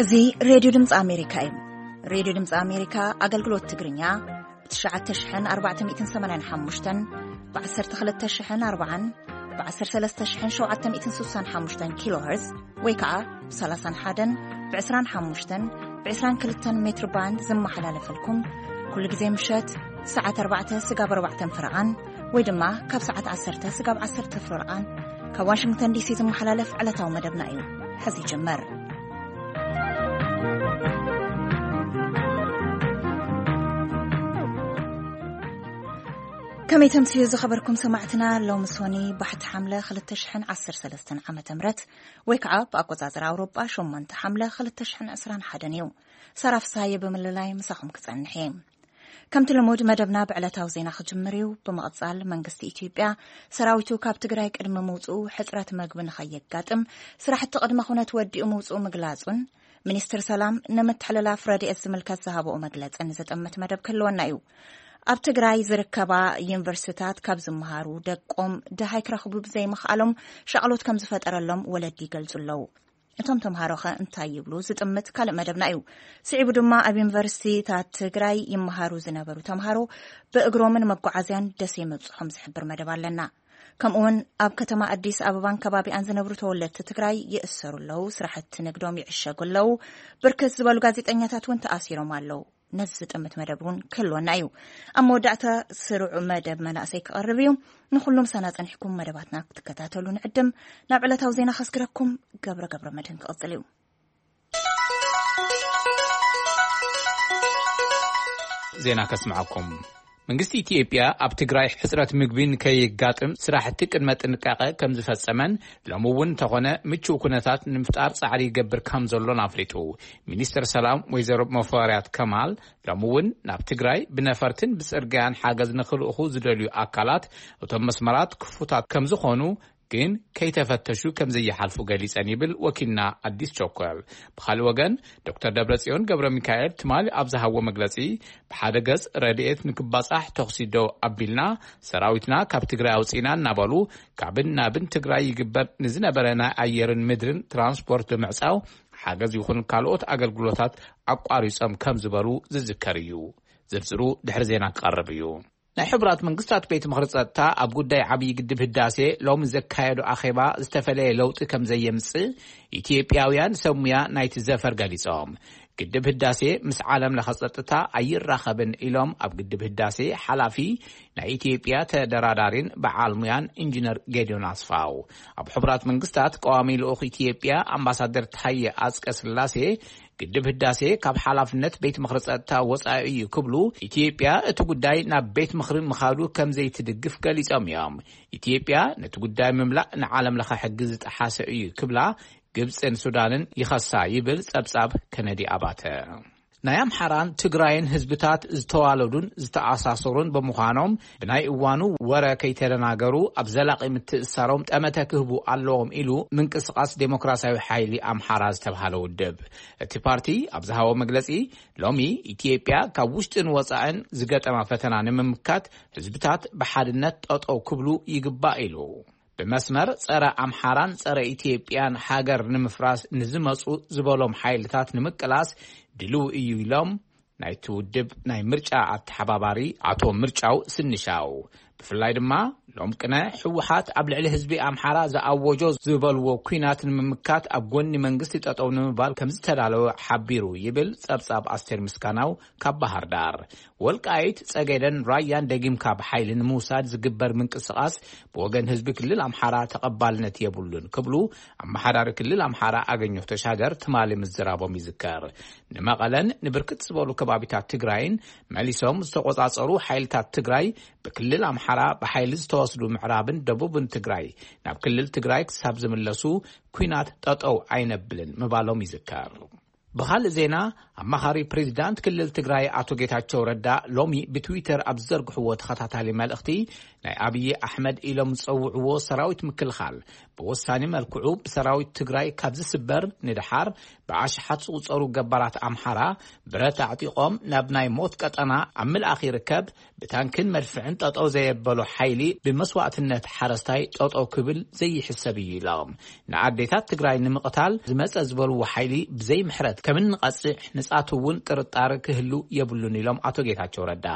እዚ ሬድዮ ድምፂ ኣሜሪካ እዩ። ሬድዮ ድምፂ ኣሜሪካ ኣገልግሎት ትግርኛ ብ ትሽዓተ ሽሕን ኣርባዕተ ሚእትን ሰማንያን ሓሙሽተን፣ ብ ዓሰርተ ክልተ ሽሕን ኣርባዓን፣ ብ ዓሰርተ ሰለስተ ሽሕን ሸውዓተ ሚእትን ስሳን ሓሙሽተን ኪሎ ሄርዝ ወይ ከዓ ብ ሰላሳን ሓደን፣ ብ ዕስራን ሓሙሽተን፣ ብ ዕስራን ክልተን ሜትር ባንድ ዝመሓላለፈልኩም፣ ኩሉ ግዜ ምሸት ሰዓት ኣርባዕተ ስጋብ ኣርባዕተን ፍረቓን ወይ ድማ ካብ ሰዓት ዓሰርተ ስጋብ ዓሰርተ ፍረቓን ካብ ዋሽንግተን ዲሲ ዝመሓላለፍ ዕለታዊ መደብና እዩ። ሕዚ ይጅመር። ከመይ ተምስዩ ዝኸበርኩም ሰማዕትና፣ ሎሚ ሶኒ ባሕቲ ሓምለ ክልተ ሽሕን ዓሰርተ ሰለስተን ዓመተ ምህረት ወይ ከዓ ብኣቆጻጽራ ኣውሮጳ ሸሞንተ ሓምለ ክልተ ሽሕን ዕስራን ሓደን እዩ። ሰራፍሳየ ብምልላይ ምሳኹም ክጸንሕ እየ። ከምቲ ልሙድ መደብና ብዕለታዊ ዜና ክጅምር እዩ። ብምቕጻል መንግስቲ ኢትዮጵያ ሰራዊቱ ካብ ትግራይ ቅድሚ ምውጽኡ ሕጽረት መግቢ ንኸየጋጥም ስራሕቲ ቅድመ ኩነት ወዲኡ ምውጽኡ ምግላጹን ሚኒስትር ሰላም ንምትሕልላፍ ረድኤት ዝምልከት ዝሃበኦ መግለጽን ዝጥምት መደብ ክህልወና እዩ። ኣብ ትግራይ ዝርከባ ዩኒቨርሲቲታት ካብ ዝመሃሩ ደቆም ደሃይ ክረኽቡ ብዘይምኽኣሎም ሻቕሎት ከም ዝፈጠረሎም ወለዲ ይገልጹ ኣለዉ። እቶም ተምሃሮኸ እንታይ ይብሉ ዝጥምት ካልእ መደብና እዩ። ስዒቡ ድማ ኣብ ዩኒቨርሲቲታት ትግራይ ይመሃሩ ዝነበሩ ተምሃሮ ብእግሮምን መጓዓዝያን ደሴ ምብፅሖም ዝሕብር መደብ ኣለና። ከምኡውን ኣብ ከተማ ኣዲስ ኣበባን ከባቢኣን ዝነብሩ ተወለድቲ ትግራይ ይእሰሩ ኣለዉ፣ ስራሕቲ ንግዶም ይዕሸጉ ኣለዉ፣ ብርክት ዝበሉ ጋዜጠኛታት እውን ተኣሲሮም ኣለዉ። ነዚ ዝጥምት መደብ እውን ክህልወና እዩ። ኣብ መወዳእታ ስሩዕ መደብ መናእሰይ ክቐርብ እዩ። ንኹሉም ሳና ጸኒሕኩም መደባትና ክትከታተሉ ንዕድም። ናብ ዕለታዊ ዜና ከስግረኩም ገብረ ገብረ መድህን ክቕጽል እዩ። ዜና ከስምዓኩም። መንግስቲ ኢትዮጵያ ኣብ ትግራይ ሕጽረት ምግቢ ንከይጋጥም ስራሕቲ ቅድመ ጥንቃቐ ከም ዝፈጸመን ሎሚ እውን እንተኾነ ምቹእ ኩነታት ንምፍጣር ጻዕሪ ይገብር ከም ዘሎን ኣፍሊጡ። ሚኒስትር ሰላም ወይዘሮ መፈሪያት ከማል ሎሚ እውን ናብ ትግራይ ብነፈርትን ብጽርግያን ሓገዝ ንክልእኹ ዝደልዩ ኣካላት እቶም መስመራት ክፉታት ከም ዝኾኑ ግን ከይተፈተሹ ከም ዘይሓልፉ ገሊጸን ይብል ወኪልና ኣዲስ ቸኮል። ብኻልእ ወገን ዶክተር ደብረጽዮን ገብረ ሚካኤል ትማሊ ኣብ ዝሃቦ መግለጺ ብሓደ ገጽ ረድኤት ንክባጻሕ ተኹሲ ደው ኣቢልና ሰራዊትና ካብ ትግራይ ኣውጺእና እናበሉ ካብን ናብን ትግራይ ይግበር ንዝነበረ ናይ ኣየርን ምድርን ትራንስፖርት ብምዕጻው ሓገዝ ይኹን ካልኦት ኣገልግሎታት ኣቋሪጾም ከም ዝበሩ ዝዝከር እዩ። ዝርዝሩ ድሕሪ ዜና ክቐርብ እዩ። ናይ ሕቡራት መንግስታት ቤት ምኽሪ ጸጥታ ኣብ ጉዳይ ዓብዪ ግድብ ህዳሴ ሎሚ ዘካየዶ ኣኼባ ዝተፈለየ ለውጢ ከም ዘየምጽእ ኢትዮጵያውያን ሰብ ሙያ ናይቲ ዘፈር ገሊጾም። ግድብ ህዳሴ ምስ ዓለም ለኸ ጸጥታ ኣይራኸብን ኢሎም ኣብ ግድብ ህዳሴ ሓላፊ ናይ ኢትዮጵያ ተደራዳሪን በዓል ሙያን ኢንጂነር ጌዲዮን ኣስፋው። ኣብ ሕቡራት መንግስታት ቀዋሚ ልኡኽ ኢትዮጵያ ኣምባሳደር ታየ ኣጽቀ ስላሴ ግድብ ህዳሴ ካብ ሓላፍነት ቤት ምኽሪ ጸጥታ ወጻኢ እዩ ክብሉ፣ ኢትዮጵያ እቲ ጉዳይ ናብ ቤት ምኽሪ ምኻዱ ከም ዘይትድግፍ ገሊጾም እዮም። ኢትዮጵያ ነቲ ጉዳይ ምምላእ ንዓለም ለኸ ሕጊ ዝጠሓሰ እዩ ክብላ ግብጽን ሱዳንን ይኸሳ ይብል ጸብጻብ ከነዲ ኣባተ። ናይ ኣምሓራን ትግራይን ህዝብታት ዝተዋለዱን ዝተኣሳሰሩን ብምዃኖም ብናይ እዋኑ ወረ ከይተደናገሩ ኣብ ዘላቒ ምትእሳሮም ጠመተ ክህቡ ኣለዎም ኢሉ ምንቅስቓስ ዴሞክራሲያዊ ሓይሊ ኣምሓራ ዝተብሃለ ውድብ። እቲ ፓርቲ ኣብ ዝሃቦ መግለጺ ሎሚ ኢትዮጵያ ካብ ውሽጥን ወጻእን ዝገጠማ ፈተና ንምምካት ህዝብታት ብሓድነት ጠጠው ክብሉ ይግባእ ኢሉ። ብመስመር ጸረ ኣምሓራን ጸረ ኢትዮጵያን ሃገር ንምፍራስ ንዝመጹ ዝበሎም ሓይልታት ንምቅላስ ድልው እዩ ኢሎም ናይቲ ውድብ ናይ ምርጫ ኣተሓባባሪ ኣቶ ምርጫው ስንሻው። ብፍላይ ድማ ሎም ቅነ ህወሓት ኣብ ልዕሊ ህዝቢ ኣምሓራ ዝኣወጆ ዝበልዎ ኲናት ንምምካት ኣብ ጎኒ መንግስቲ ጠጠው ንምባል ከም ዝተዳለወ ሓቢሩ ይብል ጸብጻብ ኣስቴር ምስጋናው ካብ ባህር ዳር። ወልቃይት ጸገደን ራያን ደጊምካ ብሓይሊ ንምውሳድ ዝግበር ምንቅስቓስ ብወገን ህዝቢ ክልል ኣምሓራ ተቐባልነት የብሉን ክብሉ ኣመሓዳሪ ክልል ኣምሓራ ኣገኘሁ ተሻገር ትማሊ ምዝራቦም ይዝከር። ንመቐለን ንብርክት ዝበሉ ከባቢታት ትግራይን መሊሶም ዝተቖጻጸሩ ሓይልታት ትግራይ ብክልል ኣምሓራ ብሓይሊ ዝተወስዱ ምዕራብን ደቡብን ትግራይ ናብ ክልል ትግራይ ክሳብ ዝምለሱ ኲናት ጠጠው ኣይነብልን ምባሎም ይዝከር። ብኻልእ ዜና ኣማኻሪ ፕሬዚዳንት ክልል ትግራይ ኣቶ ጌታቸው ረዳ ሎሚ ብትዊተር ኣብ ዝዘርግሕዎ ተኸታታሊ መልእኽቲ ናይ ኣብዪ ኣሕመድ ኢሎም ዝጸውዕዎ ሰራዊት ምክልኻል ብወሳኒ መልክዑ ብሰራዊት ትግራይ ካብ ዝስበር ንደሓር ብኣሽሓት ዝቑጸሩ ገባራት ኣምሓራ ብረት ኣዕጢቖም ናብ ናይ ሞት ቀጠና ኣብ ምልኣኽ ይርከብ። ብታንክን መድፍዕን ጠጠው ዘየበሎ ሓይሊ ብመስዋእትነት ሓረስታይ ጠጠው ክብል ዘይሕሰብ እዩ ኢሎም። ንኣዴታት ትግራይ ንምቕታል ዝመፀ ዝበልዎ ሓይሊ ብዘይ ምሕረት ከም እንቐጽዕ ንጻቱ እውን ጥርጣረ ክህሉ የብሉን ኢሎም ኣቶ ጌታቸው ረዳ።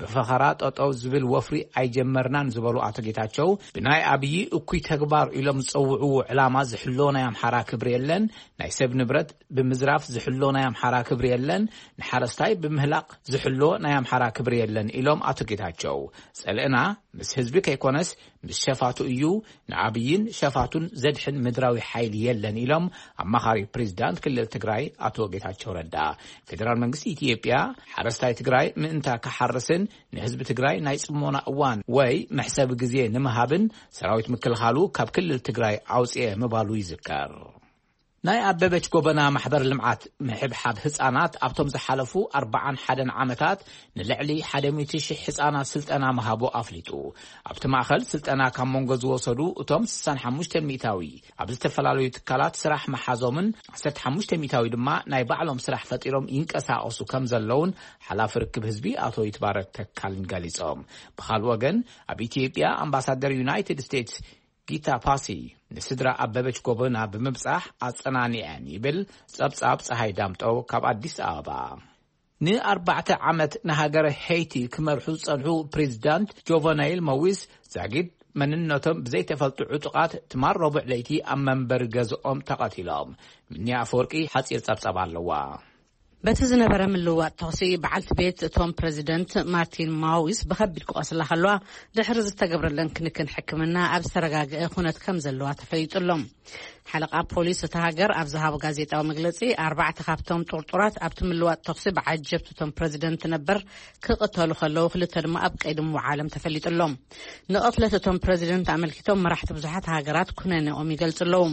ብፈኸራ ጠጠው ዝብል ወፍሪ ኣይጀመርናን ዝበሉ ኣቶ ጌታቸው፣ ብናይ ኣብዪ እኩይ ተግባር ኢሎም ዝጸውዕዎ ዕላማ ዝሕሎ ናይ ኣምሓራ ክብሪ የለን፣ ናይ ሰብ ንብረት ብምዝራፍ ዝሕሎ ናይ ኣምሓራ ክብሪ የለን፣ ንሓረስታይ ብምህላቕ ዝሕሎ ናይ ኣምሓራ ክብሪ የለን ኢሎም ኣቶ ጌታቸው። ጸልእና ምስ ህዝቢ ከይኮነስ ምስ ሸፋቱ እዩ፣ ንኣብይን ሸፋቱን ዘድሕን ምድራዊ ሓይሊ የለን ኢሎም ኣማኻሪ ፕሬዚዳንት ክልል ትግራይ ኣቶ ጌታቸው ረዳ። ፌዴራል መንግስቲ ኢትዮጵያ ሓረስታይ ትግራይ ምእንታ ክሓርስን ንህዝቢ ትግራይ ናይ ጽሞና እዋን ወይ መሕሰቢ ግዜ ንምሃብን ሰራዊት ምክልኻሉ ካብ ክልል ትግራይ ኣውፅኤ ምባሉ ይዝከር። ናይ ኣበበች ጎበና ማሕበር ልምዓት ምሕብሓብ ህፃናት ኣብቶም ዝሓለፉ ኣርባዓን ሓደን ዓመታት ንልዕሊ ሓደ ሚእቲ ሺሕ ህፃናት ስልጠና ምሃቡ ኣፍሊጡ። ኣብቲ ማእኸል ስልጠና ካብ መንጎ ዝወሰዱ እቶም ስሳን ሓሙሽተን ሚእታዊ ኣብ ዝተፈላለዩ ትካላት ስራሕ መሓዞምን ዓሰርተ ሓሙሽተ ሚእታዊ ድማ ናይ ባዕሎም ስራሕ ፈጢሮም ይንቀሳቐሱ ከም ዘለውን ሓላፊ ርክብ ህዝቢ ኣቶ ይትባረክ ተካልን ገሊጾም። ብኻልእ ወገን ኣብ ኢትዮጵያ ኣምባሳደር ዩናይትድ ስቴትስ ጊታ ፓሲ ንስድራ ኣበበች ጎበና ብምብጻሕ ኣጸናኒዐን ይብል ጸብጻብ ጸሃይ ዳምጠው ካብ ኣዲስ ኣበባ። ንኣርባዕተ ዓመት ንሃገረ ሄይቲ ክመርሑ ዝጸንሑ ፕሬዚዳንት ጆቨናይል መዊስ ዛጊድ መንነቶም ብዘይተፈልጡ ዕጡቓት ትማል ረቡዕ ለይቲ ኣብ መንበሪ ገዝኦም ተቐቲሎም። ምንያ ኣፈወርቂ ሓጺር ጸብጻብ ኣለዋ። በቲ ዝነበረ ምልውዋጥ ተኹሲ በዓልቲ ቤት እቶም ፕሬዚደንት ማርቲን ማዊስ ብኸቢድ ክቖስላ ከለዋ ድሕሪ ዝተገብረለን ክንክን ሕክምና ኣብ ዝተረጋግአ ኩነት ከም ዘለዋ ተፈሊጡ ኣሎ። ሓለቓ ፖሊስ እታ ሃገር ኣብ ዝሃቦ ጋዜጣዊ መግለጺ ኣርባዕተ ካብቶም ጥርጡራት ኣብቲ ምልዋጥ ተኹሲ ብዓጀብቲ እቶም ፕሬዚደንት ነበር ክቕተሉ ከለዉ ክልተ ድማ ኣብ ቀይዲ ምውዓሎም ተፈሊጡ ኣሎ። ንቕትለት እቶም ፕሬዚደንት ኣመልኪቶም መራሕቲ ብዙሓት ሃገራት ኩነኔኦም ይገልጹ ኣለዉ።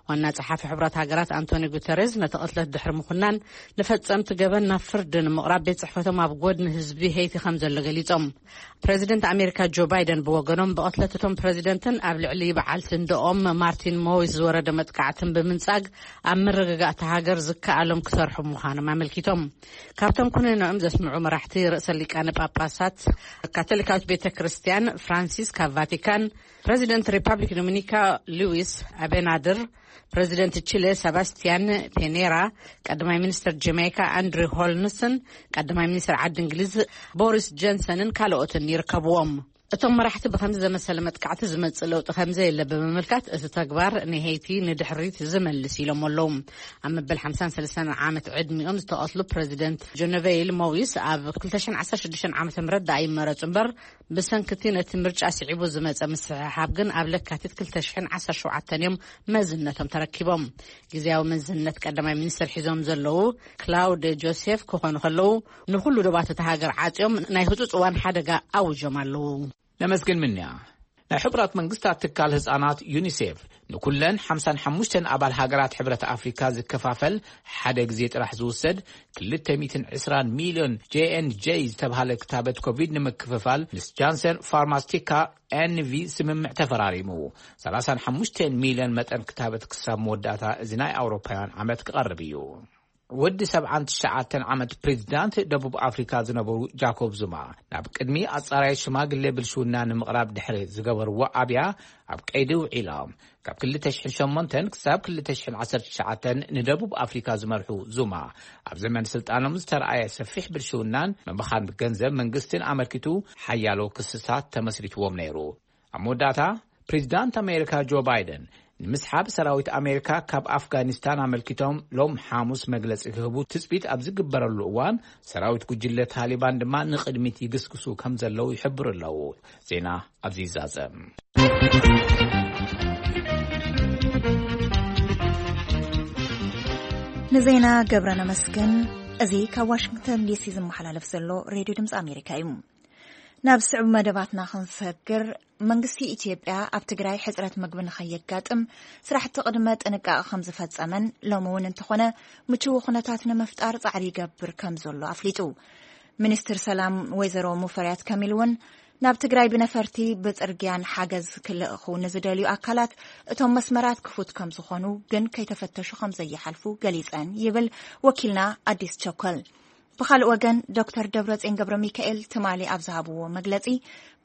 ዋና ጸሓፊ ሕቡራት ሃገራት ኣንቶኒ ጉተሬዝ ነቲ ቅትለት ድሕሪ ምኹናን ንፈጸምቲ ገበን ናብ ፍርዲ ንምቕራብ ቤት ጽሕፈቶም ኣብ ጎድኒ ህዝቢ ሄይቲ ከም ዘሎ ገሊጾም። ፕሬዚደንት ኣሜሪካ ጆ ባይደን ብወገኖም ብቕትለት እቶም ፕሬዚደንትን ኣብ ልዕሊ በዓልቲ እንደኦም ማርቲን ሞዊስ ዝወረደ መጥቃዕትን ብምንጻግ ኣብ ምርግጋእ እታ ሃገር ዝከኣሎም ክሰርሑ ምዃኖም ኣመልኪቶም። ካብቶም ኩነኔኦም ዘስምዑ መራሕቲ ርእሰ ሊቃነ ጳጳሳት ካቶሊካዊት ቤተ ክርስቲያን ፍራንሲስ ካብ ቫቲካን፣ ፕሬዚደንት ሪፓብሊክ ዶሚኒካ ሉዊስ ኣቤናድር፣ ፕሬዚደንት ቺለ ሰባስቲያን ፔኔራ፣ ቀዳማይ ሚኒስትር ጀማይካ ኣንድሪ ሆልንስን ቀዳማይ ሚኒስትር ዓዲ እንግሊዝ ቦሪስ ጆንሰንን ካልኦትን ይርከብዎም። እቶም መራሕቲ ብከምዚ ዘመሰለ መጥቃዕቲ ዝመጽእ ለውጢ ከም ዘየለ ብምምልካት፣ እቲ ተግባር ንሄይቲ ንድሕሪት ዝመልስ ኢሎም ኣለዉ። ኣብ መበል ሓምሳን ሰለስተን ዓመት ዕድሚኦም ዝተቐትሉ ፕሬዚደንት ጀነቬይል ሞዊስ ኣብ ክልተ ሽሕን ዓሰርተ ሽዱሽተን ዓመተ ምህረት ደኣ ይመረጹ እምበር፣ ብሰንኪ እቲ ነቲ ምርጫ ስዒቡ ዝመጸ ምስሕሓብ ግን ኣብ ለካቲት ክልተ ሽሕን ዓሰርተ ሸውዓተን እዮም መዝነቶም ተረኪቦም። ግዝያዊ መዝነት ቀዳማይ ሚኒስትር ሒዞም ዘለዉ ክላውድ ጆሴፍ ክኾኑ ከለዉ፣ ንኹሉ ዶባት እታ ሃገር ዓጽዮም ናይ ህጹጽ እዋን ሓደጋ ኣውጆም ኣለዉ። ነመስግን ምንያ። ናይ ሕቡራት መንግስታት ትካል ህጻናት ዩኒሴፍ ንኩለን ሓምሳን ሓሙሽተን ኣባል ሃገራት ሕብረት ኣፍሪካ ዝከፋፈል ሓደ ግዜ ጥራሕ ዝውሰድ ክልተ ሚእትን ዕስራን ሚልዮን ጄ ኤን ጄ ዝተባህለ ክታበት ኮቪድ ንምክፍፋል ምስ ጃንሰን ፋርማስቲካ ኤን ቪ ስምምዕ ተፈራሪሙ። ሰላሳን ሓሙሽተን ሚልዮን መጠን ክታበት ክሳብ መወዳእታ እዚ ናይ ኣውሮፓውያን ዓመት ክቐርብ እዩ። ወዲ ሰብዓን ትሽዓተን ዓመት ፕሬዚዳንት ደቡብ ኣፍሪካ ዝነበሩ ጃኮብ ዙማ ናብ ቅድሚ ኣጻራይ ሽማግሌ ብልሽውና ንምቕራብ ድሕሪ ዝገበርዎ ኣብያ ኣብ ቀይዲ ውዒሎም። ካብ ክልተ ሽሕን ሸሞንተን ክሳብ ክልተ ሽሕን ዓሰርተ ትሽዓተን ንደቡብ ኣፍሪካ ዝመርሑ ዙማ፣ ኣብ ዘመን ስልጣኖም ዝተረኣየ ሰፊሕ ብልሽውናን ምብኻን ገንዘብ መንግስትን ኣመልኪቱ ሓያሎ ክስታት ተመስሪትዎም ነይሩ። ኣብ መወዳእታ ፕሬዚዳንት ኣሜሪካ ጆ ባይደን ንምስሓብ ሰራዊት ኣሜሪካ ካብ ኣፍጋኒስታን ኣመልኪቶም ሎም ሓሙስ መግለጺ ክህቡ ትጽቢት ኣብ ዝግበረሉ እዋን፣ ሰራዊት ጉጅለ ታሊባን ድማ ንቕድሚት ይግስግሱ ከም ዘለዉ ይሕብሩ ኣለዉ። ዜና ኣብዚ ይዛዘም። ንዜና ገብረ ነመስግን። እዚ ካብ ዋሽንግተን ዲሲ ዝመሓላለፍ ዘሎ ሬድዮ ድምፂ ኣሜሪካ እዩ። ናብ ስዑብ መደባትና ክንሰግር፣ መንግስቲ ኢትዮጵያ ኣብ ትግራይ ሕፅረት ምግቢ ንኸየጋጥም ስራሕቲ ቅድመ ጥንቃቐ ከም ዝፈፀመን ሎሚ እውን እንተኾነ ምችው ኩነታት ንምፍጣር ፃዕሪ ይገብር ከም ዘሎ ኣፍሊጡ። ሚኒስትር ሰላም ወይዘሮ ሙፈሪያት ከሚል እውን ናብ ትግራይ ብነፈርቲ ብፅርግያን ሓገዝ ክልእኹ ንዝደልዩ ኣካላት እቶም መስመራት ክፉት ከም ዝኾኑ ግን ከይተፈተሹ ከም ዘይሓልፉ ገሊፀን ይብል ወኪልና ኣዲስ ቸኮል። ብኻልእ ወገን ዶክተር ደብረጽዮን ገብረ ሚካኤል ትማሊ ኣብ ዝሃብዎ መግለጺ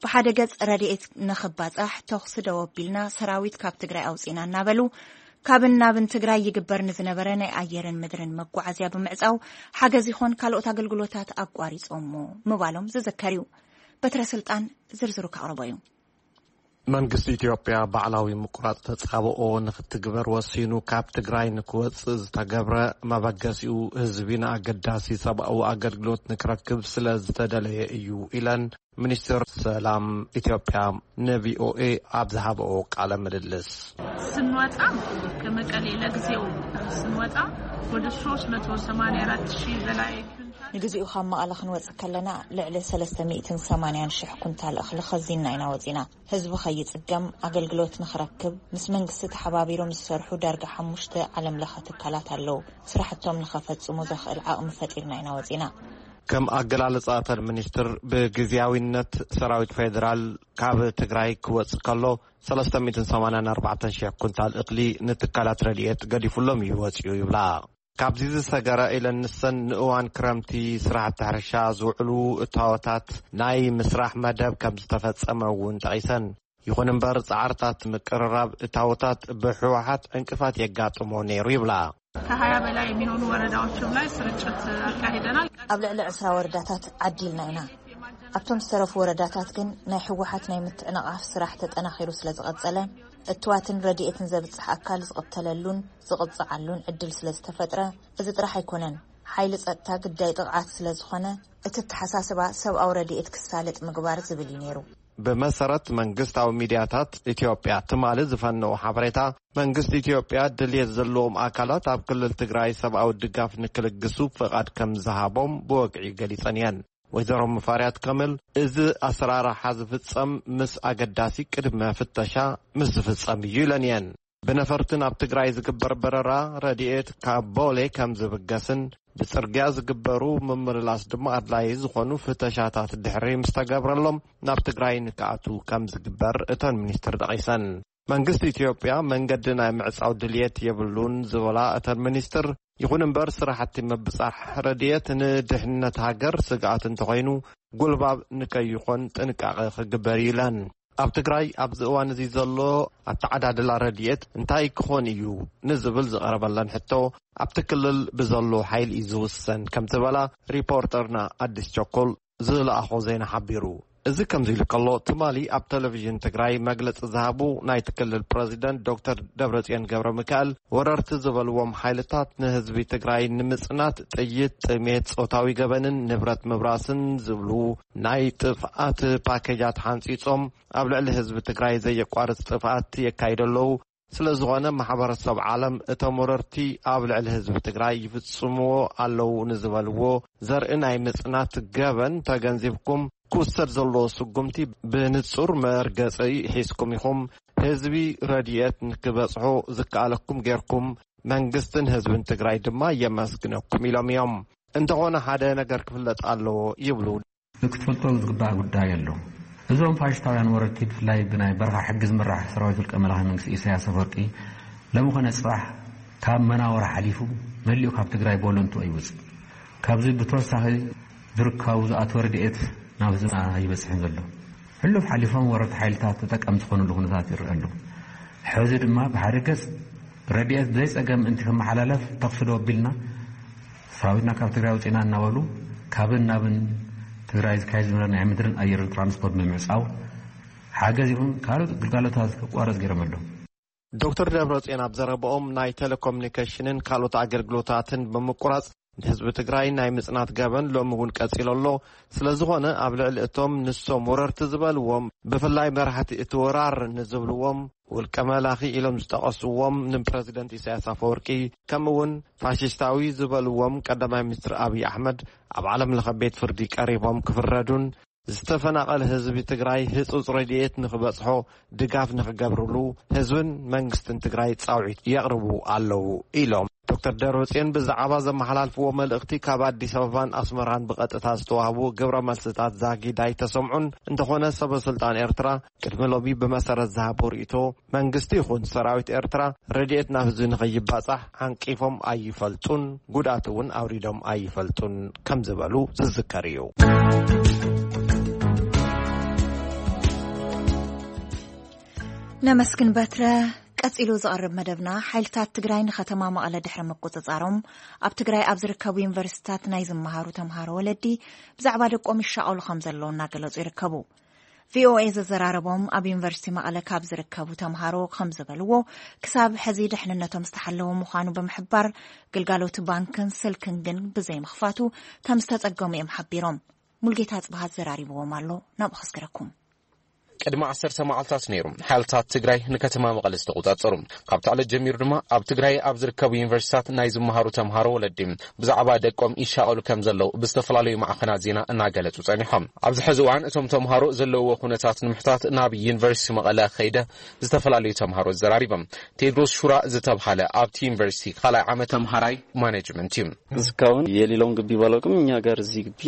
ብሓደ ገጽ ረድኤት ንኽባጻሕ ተኹሲ ደው ኣቢልና ሰራዊት ካብ ትግራይ ኣውጺእና እናበሉ ካብን ናብን ትግራይ ይግበር ንዝነበረ ናይ ኣየርን ምድርን መጓዓዝያ ብምዕፃው፣ ሓገዝ ይኾን ካልኦት ኣገልግሎታት ኣቋሪፆሞ ምባሎም ዝዝከር እዩ። በትረ ስልጣን ዝርዝሩ ከቕርቦ እዩ። መንግስቲ ኢትዮጵያ ባዕላዊ ምቁራፅ ተፃብኦ ንክትግበር ወሲኑ ካብ ትግራይ ንክወፅእ ዝተገብረ፣ መበገሲኡ ህዝቢ ንኣገዳሲ ሰብኣዊ ኣገልግሎት ንክረክብ ስለ ዝተደለየ እዩ ኢለን ሚኒስትር ሰላም ኢትዮጵያ ንቪኦኤ ኣብ ዝሃበኦ ቃለ ምልልስ። ስንወጣ ከመቀሌ ለጊዜው ስንወጣ ወደ ሶስት መቶ ሰማንያ አራት ሺህ በላይ ኩንታል። ንግዚኡ ካብ መቐለ ክንወፅእ ከለና ልዕሊ ሰለስተ ሚእትን ሰማንያን ሽሕ ኩንታል እኽሊ ኸዚንና ኢና ወፂና። ህዝቢ ኸይፅገም፣ ኣገልግሎት ንኽረክብ፣ ምስ መንግስቲ ተሓባቢሮም ዝሰርሑ ዳርጋ ሓሙሽተ ዓለም ለኸ ትካላት ኣለዉ። ስራሕቶም ንኸፈፅሙ ዘኽእል ዓቕሚ ፈጢርና ኢና ወፂና። ከም ኣገላልፃ እተን ሚኒስትር፣ ብግዝያዊነት ሰራዊት ፌዴራል ካብ ትግራይ ክወፅእ ከሎ ሰለስተ ሚእትን ሰማንያን ኣርባዕተን ሽሕ ኩንታል እኽሊ ንትካላት ረድኤት ገዲፉሎም እዩ ወፂኡ ይብላ። ካብዚ ዝሰገረ ኢለን ንሰን ንእዋን ክረምቲ ስራሕቲ ሕርሻ ዝውዕሉ እታወታት ናይ ምስራሕ መደብ ከም ዝተፈፀመ እውን ጠቒሰን። ይኹን እምበር ፃዕርታት ምቅርራብ እታወታት ብህወሓት ዕንቅፋት የጋጥሞ ነይሩ ይብላ። ከሃያ በላይ የሚሆኑ ወረዳዎችም ላይ ስርጭት አካሂደናል። ኣብ ልዕሊ ዕስራ ወረዳታት ዓዲልና ኢና። ኣብቶም ዝተረፉ ወረዳታት ግን ናይ ህወሓት ናይ ምትዕንቓፍ ስራሕ ተጠናኺሩ ስለ ዝቐጸለ፣ እትዋትን ረድኤትን ዘብጽሕ ኣካል ዝቕተለሉን ዝቕጽዓሉን ዕድል ስለ ዝተፈጥረ፣ እዚ ጥራሕ ኣይኮነን። ሓይሊ ጸጥታ ግዳይ ጥቕዓት ስለ ዝኾነ፣ እቲ ኣተሓሳስባ ሰብኣዊ ረድኤት ክሳለጥ ምግባር ዝብል እዩ ነይሩ። ብመሰረት መንግስታዊ ሚድያታት ኢትዮጵያ ትማሊ ዝፈነው ሓበሬታ፣ መንግስቲ ኢትዮጵያ ድልየት ዘለዎም ኣካላት ኣብ ክልል ትግራይ ሰብኣዊ ድጋፍ ንክልግሱ ፍቓድ ከም ዝሃቦም ብወግዒ ገሊጸን እየን። ወይዘሮ ሙፈሪያት ከመል፣ እዚ ኣሰራርሓ ዝፍጸም ምስ ኣገዳሲ ቅድመ ፍተሻ ምስ ዝፍጸም እዩ ኢለን እየን። ብነፈርቲ ናብ ትግራይ ዝግበር በረራ ረድኤት ካብ ቦሌ ከም ዝብገስን ብጽርግያ ዝግበሩ ምምልላስ ድማ ኣድላዪ ዝኾኑ ፍተሻታት ድሕሪ ምስ ተገብረሎም ናብ ትግራይ ንክኣትዉ ከም ዝግበር እተን ሚኒስትር ጠቒሰን። መንግስቲ ኢትዮጵያ መንገዲ ናይ ምዕጻው ድልየት የብሉን ዝበላ እተን ሚኒስትር፣ ይኹን እምበር ስራሕቲ ምብጻሕ ረድኤት ንድሕንነት ሃገር ስግኣት እንተኾይኑ ጉልባብ ንከይኾን ጥንቃቐ ክግበር እዩ ኢለን። ኣብ ትግራይ ኣብዚ እዋን እዚ ዘሎ ኣተዓዳድላ ረድኤት እንታይ ክኾን እዩ ንዝብል ዝቐረበለን ሕቶ፣ ኣብቲ ክልል ብዘሎ ሓይሊ እዩ ዝውሰን ከም ዝበላ ሪፖርተርና ኣዲስ ቸኮል ዝለኣኾ ዜና ሓቢሩ። እዚ ከምዚ ኢሉ ከሎ፣ ትማሊ ኣብ ቴሌቪዥን ትግራይ መግለጺ ዝሃቡ ናይቲ ክልል ፕረዚደንት ዶክተር ደብረጽዮን ገብረ ሚካኤል፣ ወረርቲ ዝበልዎም ሓይልታት ንህዝቢ ትግራይ ንምጽናት ጥይት፣ ጥሜት፣ ጾታዊ ገበንን ንብረት ምብራስን ዝብሉ ናይ ጥፍኣት ፓኬጃት ሓንጺጾም ኣብ ልዕሊ ህዝቢ ትግራይ ዘየቋርጽ ጥፍኣት የካይዱ ኣለዉ። ስለ ዝኾነ ማሕበረሰብ ዓለም እቶም ወረርቲ ኣብ ልዕሊ ህዝቢ ትግራይ ይፍጽምዎ ኣለዉ ንዝበልዎ ዘርኢ ናይ ምጽናት ገበን ተገንዚብኩም ክውሰድ ዘለዎ ስጉምቲ ብንጹር መርገጺ ሒዝኩም ኢኹም። ህዝቢ ረድኤት ንክበጽሖ ዝከኣለኩም ጌርኩም፣ መንግስትን ህዝብን ትግራይ ድማ የመስግነኩም ኢሎም እዮም። እንተኾነ ሓደ ነገር ክፍለጥ ኣለዎ ይብሉ። ክትፈልጦ ዝግባእ ጉዳይ ኣሎ። እዞም ፋሽስታውያን ወረርቲ ብፍላይ ብናይ በረኻ ሕጊ ዝምራሕ ሰራዊት ውልቀ መላኺ መንግስቲ ኢሳያስ ኣፈወርቂ ሎሚ ኮነ ጽባሕ ካብ መናወራ ሓሊፉ መሊኡ ካብ ትግራይ ቦለንቱ ኣይወጽእ። ካብዚ ብተወሳኺ ዝርከቡ ዝኣተወ ረድኤት ናብ ህዝብና ኣይበጽሕን ዘሎ። ሕሉፍ ሓሊፎም ወረርቲ ሓይልታት ተጠቀምቲ ዝኾኑሉ ኩነታት ይረአ ኣሎ። ሕዚ ድማ ብሓደ ገጽ ረድኤት ብዘይ ጸገም ምእንቲ ክመሓላለፍ ተኽሲ ዶ ኣቢልና ሰራዊትና ካብ ትግራይ ውፅኢና እናበሉ ካብን ናብን ትግራይ ዝካየድ ዝነበረ ናይ ምድርን ኣየርን ትራንስፖርት ብምዕፃው ሓገዝ ይኹን ካልኦት ግልጋሎታት ክቋረፅ ገይሮም ኣለዉ። ዶክተር ደብረጽዮን ኣብ ዘረብኦም ናይ ቴሌኮሙኒኬሽንን ካልኦት ኣገልግሎታትን ብምቁራፅ ንህዝቢ ትግራይ ናይ ምፅናት ገበን ሎሚ እውን ቀፂሉ ኣሎ። ስለዝኾነ ኣብ ልዕሊ እቶም ንሶም ወረርቲ ዝበልዎም ብፍላይ መራሕቲ እቲ ወራር ንዝብልዎም ውልቀ መላኺ ኢሎም ዝጠቐስዎም ንፕረዚደንት ኢሳያስ ኣፈወርቂ ከምኡ እውን ፋሽስታዊ ዝበልዎም ቀዳማይ ሚኒስትር ኣብይ ኣሕመድ ኣብ ዓለም ለኸ ቤት ፍርዲ ቀሪቦም ክፍረዱን ዝተፈናቐለ ህዝቢ ትግራይ ህፁፅ ረድኤት ንክበፅሖ ድጋፍ ንክገብርሉ ህዝብን መንግስትን ትግራይ ፃውዒት የቕርቡ ኣለዉ ኢሎም። ዶክተር ደብረፅዮን ብዛዕባ ዘመሓላልፍዎ መልእኽቲ ካብ ኣዲስ ኣበባን ኣስመራን ብቐጥታ ዝተዋህቡ ግብረ መልስታት ዛጊድ ኣይተሰምዑን። እንተኾነ ሰበ ስልጣን ኤርትራ ቅድሚ ሎሚ ብመሰረት ዝሃቦ ርእይቶ መንግስቲ ይኹን ሰራዊት ኤርትራ ረድኤት ናብ ህዝቢ ንኸይባፃሕ ዓንቂፎም ኣይፈልጡን፣ ጉድኣት እውን ኣውሪዶም ኣይፈልጡን ከም ዝበሉ ዝዝከር እዩ። ነመስግን በትረ። ቀጺሉ ዝቐርብ መደብና፣ ሓይልታት ትግራይ ንከተማ መቐለ ድሕሪ ምቁጽጻሮም፣ ኣብ ትግራይ ኣብ ዝርከቡ ዩኒቨርሲቲታት ናይ ዝመሃሩ ተምሃሮ ወለዲ ብዛዕባ ደቆም ይሻቐሉ ከም ዘለዉ እናገለጹ ይርከቡ። ቪኦኤ ዘዘራረቦም ኣብ ዩኒቨርሲቲ መቐለ ካብ ዝርከቡ ተምሃሮ ከም ዝበልዎ፣ ክሳብ ሕዚ ድሕንነቶም ዝተሓለወ ምዃኑ ብምሕባር፣ ግልጋሎት ባንክን ስልክን ግን ብዘይምኽፋቱ ከም ዝተጸገሙ እዮም ሓቢሮም። ሙልጌታ ጽብሃት ዘራሪብዎም ኣሎ፣ ናብኡ ከስግረኩም። ቅድሚ ዓሰርተ መዓልታት ነይሩ፣ ሓይልታት ትግራይ ንከተማ መቐለ ዝተቆጻጸሩ። ካብቲ ዕለት ጀሚሩ ድማ ኣብ ትግራይ ኣብ ዝርከቡ ዩኒቨርሲታት ናይ ዝመሃሩ ተምሃሮ ወለዲ ብዛዕባ ደቆም ይሻቐሉ ከም ዘለዉ ብዝተፈላለዩ ማዕኸናት ዜና እናገለጹ ጸኒሖም። ኣብዚ ሕዚ እዋን እቶም ተምሃሮ ዘለውዎ ኩነታት ንምሕታት ናብ ዩኒቨርሲቲ መቐለ ከይደ ዝተፈላለዩ ተምሃሮ ዘራሪቦም። ቴድሮስ ሹራ ዝተብሃለ ኣብቲ ዩኒቨርሲቲ ካልኣይ ዓመት ተምሃራይ ማኔጅመንት እዩ። እስካሁን የሌላውን ግቢ ባላውቅም፣ እኛ ጋር እዚህ ግቢ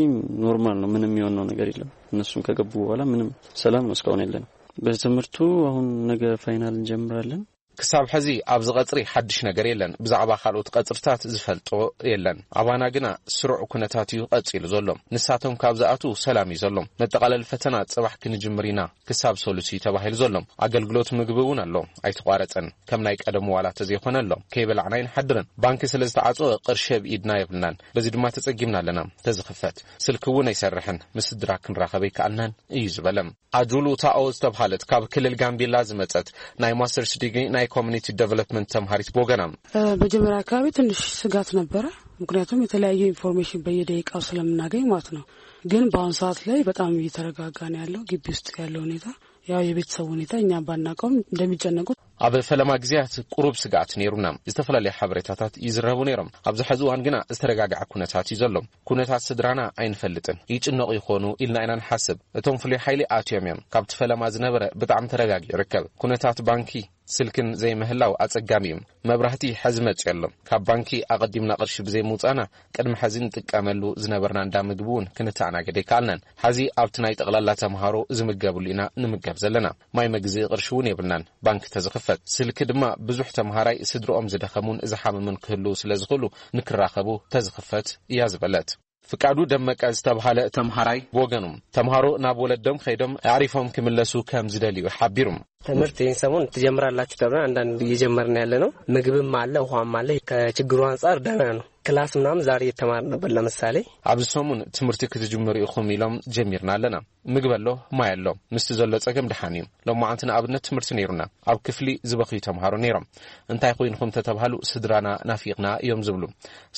ኖርማል ነው፣ ምንም የሆነው ነገር የለም። እነሱም ከገቡ በኋላ ምንም ሰላም ነው፣ እስካሁን የለንም። በትምህርቱ አሁን ነገ ፋይናል እንጀምራለን። ክሳብ ሕዚ ኣብዚ ቀጽሪ ሓድሽ ነገር የለን። ብዛዕባ ካልኦት ቀጽርታት ዝፈልጦ የለን። ኣባና ግና ስሩዕ ኩነታት እዩ ቀጺሉ ዘሎ። ንሳቶም ካብ ዝኣትዉ ሰላም እዩ ዘሎ። መጠቓለሊ ፈተና ጽባሕ ክንጅምር ኢና። ክሳብ ሰሉስ እዩ ተባሂሉ ዘሎ። ኣገልግሎት ምግቢ እውን ኣሎ፣ ኣይተቋረጸን። ከም ናይ ቀደሙ ዋላ ተዘይኮነ ኣሎ። ከይበላዕና ኣይንሓድርን። ባንኪ ስለ ዝተዓጸወ ቅርሺ ኣብ ኢድና የብልናን። በዚ ድማ ተጸጊምና ኣለና። ተዝኽፈት ስልኪ እውን ኣይሰርሕን። ምስ ስድራ ክንራኸብ ኣይከኣልናን እዩ ዝበለ። ኣጁሉ ታኦ ዝተብሃለት ካብ ክልል ጋምቤላ ዝመጸት ናይ ማስተርስ ዲግሪ ናይ ኮሚኒቲ ዴቨሎፕመንት ተምሃሪት ብወገና፣ እ፣ መጀመሪያ አካባቢ ትንሽ ስጋት ነበረ። ምክንያቱም የተለያየ ኢንፎርሜሽን በየደቂቃው ስለምናገኝ ማለት ነው። ግን በአሁኑ ሰዓት ላይ በጣም እየተረጋጋ ነው ያለው። ግቢ ውስጥ ያለው ሁኔታ፣ ያው የቤተሰቡ ሁኔታ እኛ ባናውቀውም እንደሚጨነቁት። ኣብ ፈለማ ግዜያት ቁሩብ ስግኣት ነይሩና። ዝተፈላለዩ ሓበሬታታት ይዝረቡ ነይሮም። ኣብዚ ሕዚ እዋን ግና ዝተረጋግዐ ኩነታት እዩ ዘሎ። ኩነታት ስድራና ኣይንፈልጥን። ይጭነቑ ይኾኑ ኢልና ኢና ንሓስብ። እቶም ፍሉይ ሓይሊ ኣትዮም እዮም። ካብቲ ፈለማ ዝነበረ ብጣዕሚ ተረጋጊዑ ይርከብ። ኩነታት ባንኪ፣ ስልክን ዘይምህላው ኣጸጋሚ እዩ። መብራህቲ ሕዚ መጺኡ ኣሎ። ካብ ባንኪ ኣቐዲምና ቅርሺ ብዘይምውጻእና፣ ቅድሚ ሕዚ ንጥቀመሉ ዝነበርና እንዳ ምግቢ እውን ክንተኣናገድ ኣይከኣልናን። ሕዚ ኣብቲ ናይ ጠቕላላ ተምሃሮ ዝምገብሉ ኢና ንምገብ ዘለና። ማይ መግዝኢ ቅርሺ እውን የብልናን፣ ባንኪ ተዝኽፈት። ስልኪ ድማ ብዙሕ ተምሃራይ ስድርኦም ዝደኸሙን ዝሓመሙን ክህልዉ ስለ ዝኽእሉ፣ ንክራኸቡ ተዝኽፈት እያ ዝበለት። ፍቃዱ ደመቀ ዝተብሃለ ተምሃራይ ብወገኑ፣ ተምሃሮ ናብ ወለዶም ከይዶም ኣዕሪፎም ክምለሱ ከም ዝደልዩ ሓቢሩ። ትምህርት ይህን ሰሞን ትጀምራላችሁ ተብለን አንዳንድ እየጀመርን ያለ ነው። ምግብም አለ፣ ውሃም አለ። ከችግሩ አንጻር ደህና ነው። ክላስ ምናምን ዛሬ እየተማርን ነበር። ለምሳሌ፣ ኣብዚ ሰሙን ትምህርቲ ክትጅምሩ ኢኹም ኢሎም ጀሚርና ኣለና። ምግቢ ኣሎ፣ ማይ ኣሎ። ምስቲ ዘሎ ጸገም ደሓን እዩ። ሎማዓንቲ ንኣብነት ትምህርቲ ነይሩና። ኣብ ክፍሊ ዝበኽዩ ተምሃሮ ነይሮም። እንታይ ኮይንኹም ተተባሃሉ፣ ስድራና ናፊቕና እዮም ዝብሉ።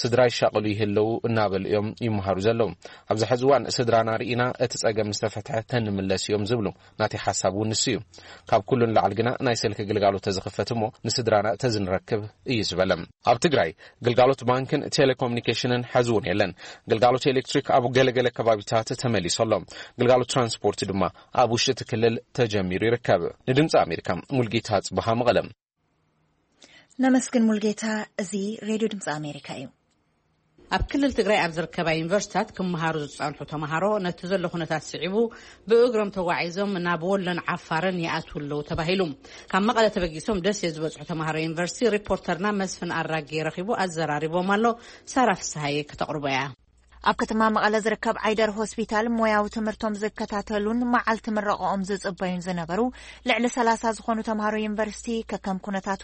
ስድራ ይሻቐሉ ይህለዉ እናበሉ እዮም ይመሃሩ ዘለዉ። ኣብዚ ሕዚ እዋን ስድራና ርኢና እቲ ጸገም ምስ ተፈትሐ ተንምለስ እዮም ዝብሉ። ናተይ ሓሳብ እውን ንሱ እዩ። ካብ ኩሉ ንላዕሊ ግና ናይ ስልኪ ግልጋሎት ተዝኽፈት እሞ ንስድራና ተዝንረክብ እዩ ዝበለ። ኣብ ትግራይ ግልጋሎት ባንክን ቴሌኮሙኒኬሽንን ሕዚ እውን የለን። ግልጋሎት ኤሌክትሪክ ኣብ ገለገለ ከባቢታት ተመሊሱ ኣሎ። ግልጋሎት ትራንስፖርት ድማ ኣብ ውሽጢ እቲ ክልል ተጀሚሩ ይርከብ። ንድምፂ ኣሜሪካ ሙልጌታ ጽብሃ መቐለ። ነመስግን ሙልጌታ። እዚ ሬድዮ ድምፂ ኣሜሪካ እዩ። ኣብ ክልል ትግራይ ኣብ ዝርከባ ዩኒቨርሲታት ክመሃሩ ዝጸንሑ ተምሃሮ ነቲ ዘሎ ኩነታት ስዒቡ ብእግሮም ተጓዒዞም ናብ ወሎን ዓፋርን ይኣትዉ ኣለዉ ተባሂሉ። ካብ መቐለ ተበጊሶም ደሴ ዝበጽሑ ተምሃሮ ዩኒቨርሲቲ ሪፖርተርና መስፍን ኣራጌ ረኺቡ ኣዘራሪቦም ኣሎ። ሳራ ፍስሃየ ከተቕርቦ እያ። ኣብ ከተማ መቐለ ዝርከብ ዓይደር ሆስፒታል ሞያዊ ትምህርቶም ዝከታተሉን መዓልቲ ምረቐኦም ዝጽበዩን ዝነበሩ ልዕሊ ሰላሳ ዝኾኑ ተምሃሮ ዩኒቨርሲቲ፣ ከከም ኩነታቱ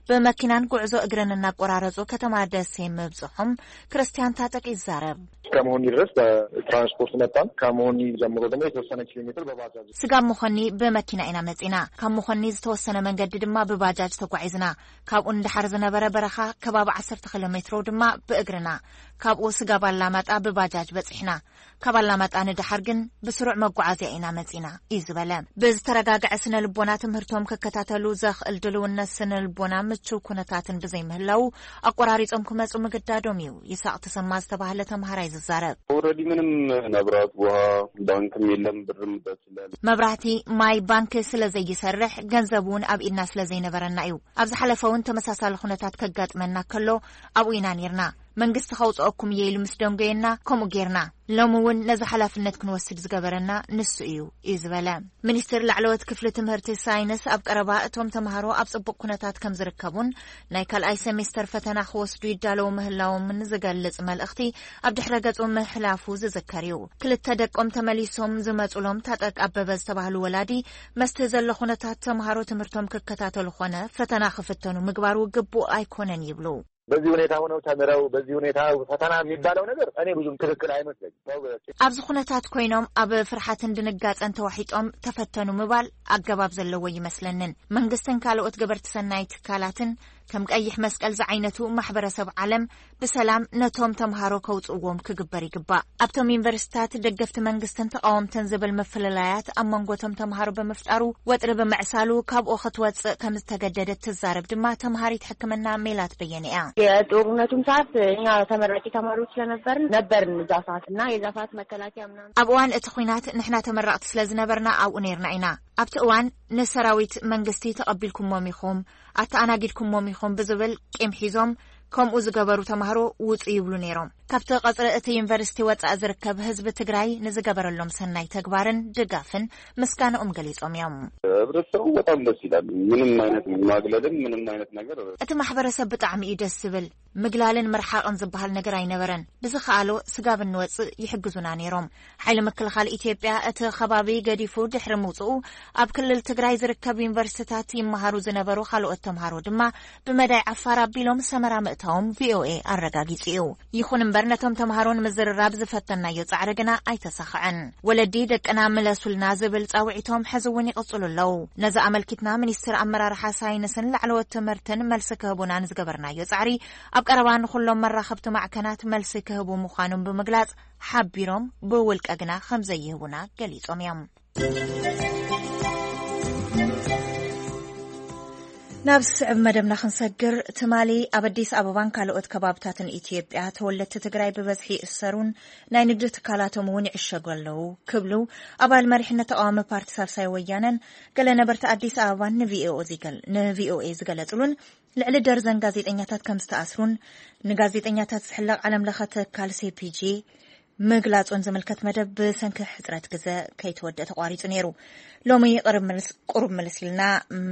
ብመኪናን ጉዕዞ እግርን እናቆራረጹ ከተማ ደሴ ምብጽሖም ክርስቲያን ታጠቅ ይዛረብ። እስከ መሆኒ ድረስ በትራንስፖርት መጣን። ከመሆኒ ጀምሮ ደግሞ የተወሰነ ኪሎ ሜትር በባጃጅ። ስጋብ መኾኒ ብመኪና ኢና መጺና። ካብ መኾኒ ዝተወሰነ መንገዲ ድማ ብባጃጅ ተጓዒዝና። ካብኡ ንደሓር ዝነበረ በረኻ ከባቢ ዓሰርተ ኪሎ ሜትሮ ድማ ብእግርና። ካብኡ ስጋብ ኣላማጣ ብባጃጅ በጺሕና። ካብ ኣላማጣ ንደሓር ግን ብስሩዕ መጓዓዝያ ኢና መጺና እዩ ዝበለ። ብዝተረጋግዐ ስነ ልቦና ትምህርቶም ክከታተሉ ዘኽእል ድልውነት ስነ ልቦና ምቹው ኩነታትን ብዘይምህላው ኣቆራሪጾም ክመጹ ምግዳዶም እዩ። ይስሐቅ ተሰማ ዝተባህለ ተምሃራይ ዝዛረብ። ኦልሬዲ ምንም መብራት፣ ውሃ፣ ባንክም የለም፣ ብርም ደስ ይላል። መብራህቲ፣ ማይ፣ ባንክ ስለ ዘይሰርሕ ገንዘብ እውን ኣብ ኢድና ስለ ዘይነበረና እዩ። ኣብ ዝሓለፈ እውን ተመሳሳሊ ኩነታት ከጋጥመና ከሎ ኣብኡ ኢና ኔርና። መንግስቲ ከውፅኦኩም እየ ኢሉ ምስ ደንጎየና ከምኡ ጌርና። ሎሚ እውን ነዚ ሓላፍነት ክንወስድ ዝገበረና ንሱ እዩ እዩ ዝበለ። ሚኒስትር ላዕለዎት ክፍሊ ትምህርቲ ሳይንስ ኣብ ቀረባ እቶም ተምሃሮ ኣብ ፅቡቅ ኩነታት ከም ዝርከቡን ናይ ካልኣይ ሴሜስተር ፈተና ክወስዱ ይዳለዉ ምህላዎምን ዝገልጽ መልእኽቲ ኣብ ድሕረ ገጹ ምሕላፉ ዝዝከር እዩ። ክልተ ደቆም ተመሊሶም ዝመጹሎም ታጠቅ ኣበበ ዝተባህሉ ወላዲ መስቲ ዘሎ ኩነታት ተምሃሮ ትምህርቶም ክከታተሉ ኾነ ፈተና ክፍተኑ ምግባሩ ግቡእ ኣይኮነን ይብሉ። በዚህ ሁኔታ ሆነው ተምረው በዚህ ሁኔታ ፈተና የሚባለው ነገር እኔ ብዙም ትክክል አይመስለኝም። ሰው በ- ኣብዚ ኩነታት ኮይኖም ኣብ ፍርሓትን ድንጋጸን ተዋሒጦም ተፈተኑ ምባል ኣገባብ ዘለዎ ይመስለንን። መንግስትን ካልኦት ገበርቲ ሰናይ ትካላትን ከም ቀይሕ መስቀል ዝዓይነቱ ማሕበረሰብ ዓለም ብሰላም ነቶም ተምሃሮ ከውፅእዎም ክግበር ይግባእ። ኣብቶም ዩኒቨርሲታት ደገፍቲ መንግስትን ተቃወምትን ዝብል ምፍልላያት ኣብ መንጎ እቶም ተምሃሮ ብምፍጣሩ ወጥሪ ብምዕሳሉ ካብኡ ክትወፅእ ከም ዝተገደደት ትዛረብ ድማ ተምሃሪት ሕክምና ሜላት በየነ እያ። የጦርነቱም ሰዓት እኛ ተመራቂ ተማሪዎች ስለነበርን ነበርን እዛ ሰዓት እና የዛ ሰዓት መከላከያ ምናምን ኣብ እዋን እቲ ኹናት ንሕና ተመረቕቲ ስለ ዝነበርና ኣብኡ ነይርና ኢና። ኣብቲ እዋን ንሰራዊት መንግስቲ ተቐቢልኩሞም ኢኹም፣ ኣተኣናጊድኩሞም ኢኹም ብዝብል ቂም ሒዞም ከምኡ ዝገበሩ ተማሃሮ ውጹ ይብሉ ነይሮም። ካብቲ ቀጽሪ እቲ ዩኒቨርሲቲ ወጻኢ ዝርከብ ህዝቢ ትግራይ ንዝገበረሎም ሰናይ ተግባርን ድጋፍን ምስጋናኦም ገሊጾም እዮም። ህብረተሰቡ በጣም ደስ ይላል። ምንም አይነት ማግለልን ምንም አይነት ነገር እቲ ማሕበረሰብ ብጣዕሚ እዩ ደስ ዝብል። ምግላልን ምርሓቕን ዝበሃል ነገር ኣይነበረን። ብዝኸኣሎ ስጋብ እንወፅእ ይሕግዙና ነይሮም። ሓይሊ ምክልኻል ኢትዮጵያ እቲ ከባቢ ገዲፉ ድሕሪ ምውፅኡ ኣብ ክልል ትግራይ ዝርከብ ዩኒቨርሲቲታት ይመሃሩ ዝነበሩ ካልኦት ተምሃሮ ድማ ብመዳይ ዓፋር ኣቢሎም ሰመራ ምእታዎም ቪኦኤ ኣረጋጊፁ እዩ። ይኹን እምበር ነቶም ተምሃሮ ንምዝርራብ ዝፈተናዮ ፃዕሪ ግና ኣይተሳኸዐን። ወለዲ ደቅና ምለሱልና ዝብል ፃውዒቶም ሕዚ እውን ይቕፅሉ ኣለዉ። ነዚ ኣመልኪትና ሚኒስትር ኣመራርሓ ሳይንስን ላዕለዎት ትምህርትን መልሲ ክህቡና ንዝገበርናዮ ፃዕሪ ኣብ ቀረባ ንኹሎም መራኸብቲ ማዕከናት መልሲ ክህቡ ምዃኖም ብምግላጽ ሓቢሮም ብውልቀ ግና ከም ዘይህቡና ገሊጾም እዮም። ናብ ዝስዕብ መደብና ክንሰግር ትማሊ ኣብ ኣዲስ ኣበባን ካልኦት ከባብታትን ኢትዮጵያ ተወለድቲ ትግራይ ብበዝሒ ይእሰሩን ናይ ንግዲ ትካላቶም እውን ይዕሸጉ ኣለዉ ክብሉ ኣባል መሪሕነት ተቃዋሚ ፓርቲ ሳልሳይ ወያነን ገለ ነበርቲ ኣዲስ ኣበባን ንቪኦኤ ዝገለጹሉን ልዕሊ ደርዘን ጋዜጠኛታት ከም ዝተኣስሩን ንጋዜጠኛታት ዝሕለቕ ዓለም ለኸ ትካል ሴፒጂ ምግላጹን ዝምልከት መደብ ብሰንኪ ሕጽረት ግዘ ከይተወደአ ተቋሪጹ ነይሩ። ሎሚ ቅርብ ምልስ ኢልና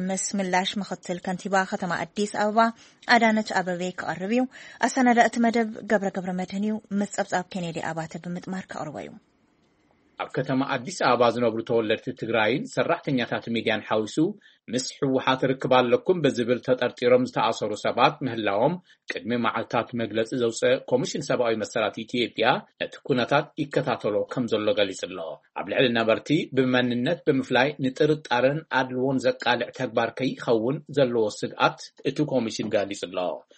ምስ ምላሽ ምኽትል ከንቲባ ከተማ ኣዲስ ኣበባ ኣዳነች ኣበቤ ክቐርብ እዩ። ኣሰናዳ እቲ መደብ ገብረ ገብረ መድህን እዩ። ምስ ጸብጻብ ኬኔዲ ኣባተ ብምጥማር ከቕርቦ እዩ። ኣብ ከተማ ኣዲስ ኣበባ ዝነብሩ ተወለድቲ ትግራይን ሰራሕተኛታት ሚድያን ሓዊሱ ምስ ህወሓት ርክብ ኣለኩም ብዝብል ተጠርጢሮም ዝተኣሰሩ ሰባት ምህላዎም ቅድሚ መዓልታት መግለፂ ዘውፀ ኮሚሽን ሰብኣዊ መሰላት ኢትዮጵያ ነቲ ኩነታት ይከታተሎ ከም ዘሎ ገሊፁ ኣሎ። ኣብ ልዕሊ ነበርቲ ብመንነት ብምፍላይ ንጥርጣረን ኣድልዎን ዘቃልዕ ተግባር ከይኸውን ዘለዎ ስግኣት እቲ ኮሚሽን ገሊፁ ኣሎ።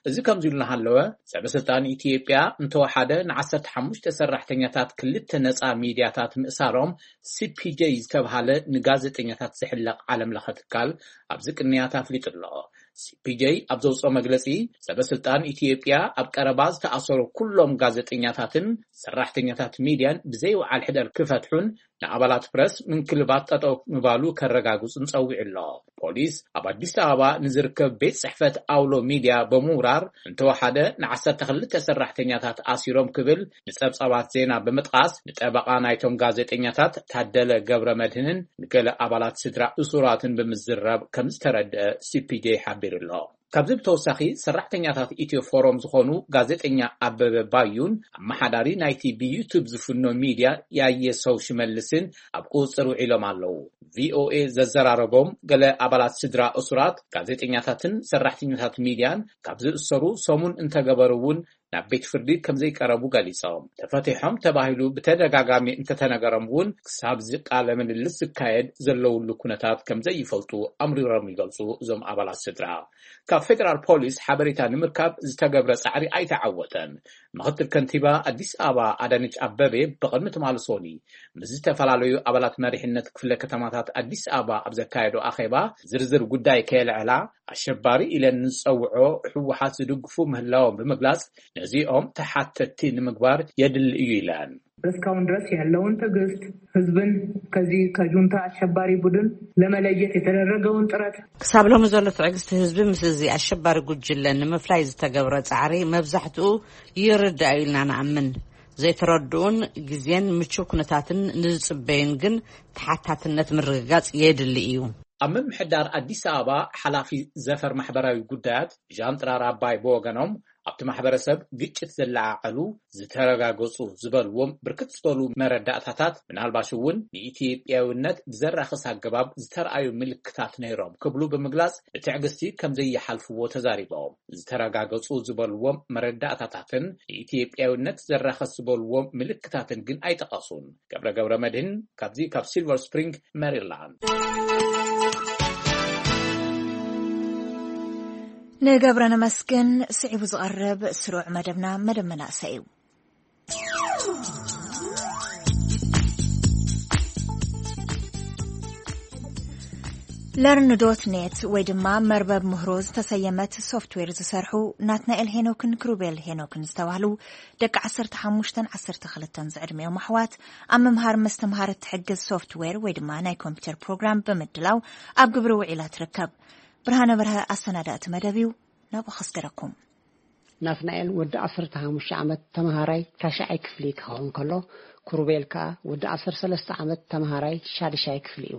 እዚ ከምዚ ኢሉ እናሃለወ ሰበስልጣን ኢትዮጵያ እንተወሓደ ንዓሰርተ ሓሙሽተ ሰራሕተኛታት ክልተ ነፃ ሚድያታት ምእሳሮም ሲፒጄ ዝተብሃለ ንጋዜጠኛታት ዝሕለቕ ዓለም ለኸ ትካል ኣብዚ ቅንያት ኣፍሊጡ ኣሎ። ሲፒጄ ኣብ ዘውፅኦ መግለፂ ሰበስልጣን ኢትዮጵያ ኣብ ቀረባ ዝተኣሰሩ ኩሎም ጋዜጠኛታትን ሰራሕተኛታት ሚድያን ብዘይወዓል ሕደር ክፈትሑን ንኣባላት ፕረስ ምንክልባት ጠጠው ምባሉ ከረጋግፁን ፀዊዑ ኣሎ። ፖሊስ ኣብ ኣዲስ ኣበባ ንዝርከብ ቤት ፅሕፈት ኣውሎ ሚድያ ብምውራር እንተወሓደ ንዓሰርተ ክልተ ሰራሕተኛታት ኣሲሮም ክብል ንፀብፃባት ዜና ብምጥቓስ ንጠበቓ ናይቶም ጋዜጠኛታት ታደለ ገብረ መድህንን ንገለ ኣባላት ስድራ እሱራትን ብምዝራብ ከም ዝተረድአ ሲፒጄ ሓቢሩ ኣሎ። ካብዚ ብተወሳኺ ሰራሕተኛታት ኢትዮ ፎረም ዝኾኑ ጋዜጠኛ ኣበበ ባዩን ኣመሓዳሪ ናይቲ ብዩቱብ ዝፍኖ ሚድያ ያየ ሰው ሽመልስን ኣብ ቁፅፅር ውዒሎም ኣለዉ። ቪኦኤ ዘዘራረቦም ገለ ኣባላት ስድራ እሱራት ጋዜጠኛታትን ሰራሕተኛታት ሚድያን ካብ ዝእሰሩ ሰሙን እንተገበሩ እውን ናብ ቤት ፍርዲ ከም ዘይቀረቡ ገሊፆም። ተፈቲሖም ተባሂሉ ብተደጋጋሚ እንተተነገሮም እውን ክሳብ ዝቃለ ምልልስ ዝካየድ ዘለውሉ ኩነታት ከም ዘይፈልጡ ኣምሪሮም ይገልፁ። እዞም ኣባላት ስድራ ካብ ፌደራል ፖሊስ ሓበሬታ ንምርካብ ዝተገብረ ፃዕሪ ኣይተዓወተን። ምኽትል ከንቲባ ኣዲስ ኣበባ ኣዳነች ኣበቤ ብቕድሚ ትማሊ ሶኒ ምስ ዝተፈላለዩ ኣባላት መሪሕነት ክፍለ ከተማታት ኣዲስ ኣበባ ኣብ ዘካየዶ ኣኼባ ዝርዝር ጉዳይ ከየልዐላ ኣሸባሪ ኢለን ንዝፀውዖ ህወሓት ዝድግፉ ምህላዎም ብምግላፅ ነዚኦም ተሓተትቲ ንምግባር የድሊ እዩ ኢለን። እስካሁን ድረስ ያለውን ትዕግስት፣ ህዝብን ከዚህ ከጁንታ አሸባሪ ቡድን ለመለየት የተደረገውን ጥረት ክሳብ ሎሚ ዘሎ ትዕግስቲ ህዝቢ ምስ እዚ ኣሸባሪ ጉጅለ ንምፍላይ ዝተገብረ ጻዕሪ መብዛሕትኡ ይርዳእ ኢልና ንኣምን። ዘይተረድኡን ግዜን ምቹው ኩነታትን ንዝጽበዩን ግን ተሓታትነት ምርግጋጽ የድሊ እዩ። ኣብ ምምሕዳር ኣዲስ ኣበባ ሓላፊ ዘፈር ማሕበራዊ ጉዳያት ዣንጥራር ኣባይ ብወገኖም፣ ኣብቲ ማሕበረሰብ ግጭት ዘለዓዓሉ ዝተረጋገጹ ዝበልዎም ብርክት ዝበሉ መረዳእታታት፣ ምናልባሽ እውን ንኢትዮጵያዊነት ብዘራኽስ ኣገባብ ዝተረኣዩ ምልክታት ነይሮም ክብሉ ብምግላጽ፣ ብትዕግስቲ ከም ዘይሓልፍዎ ተዛሪቦም። ዝተረጋገጹ ዝበልዎም መረዳእታታትን ንኢትዮጵያዊነት ዘራኽስ ዝበልዎም ምልክታትን ግን ኣይጠቐሱን። ገብረ ገብረ መድህን ካብዚ ካብ ሲልቨር ስፕሪንግ ሜሪላንድ። ንገብረ ነመስግን። ስዒቡ ዝቐርብ ስሩዕ መደብና መደብ መናእሰይ እዩ። ለርን ዶት ኔት ወይ ድማ መርበብ ምህሮ ዝተሰየመት ሶፍትዌር ዝሰርሑ ናትናኤል ሄኖክን ክሩቤል ሄኖክን ዝተባህሉ ደቂ ዓሰርተ ሓሙሽተን ዓሰርተ ክልተን ዝዕድሚኦም ኣሕዋት ኣብ ምምሃር ምስትምሃር እትሕግዝ ሶፍትዌር ወይ ድማ ናይ ኮምፒውተር ፕሮግራም ብምድላው ኣብ ግብሪ ውዒላ ትርከብ። ብርሃነ በርሀ ኣሰናዳእቲ መደብ እዩ። ናብኡ ከስገረኩም። ናትናኤል ወዲ ዓሰርተ ሓሙሽተ ዓመት ተምሃራይ ታሽዓይ ክፍሊ ክኸውን ከሎ፣ ክሩቤል ከኣ ወዲ ዓሰርተ ሰለስተ ዓመት ተምሃራይ ሻድሻይ ክፍሊ እዩ።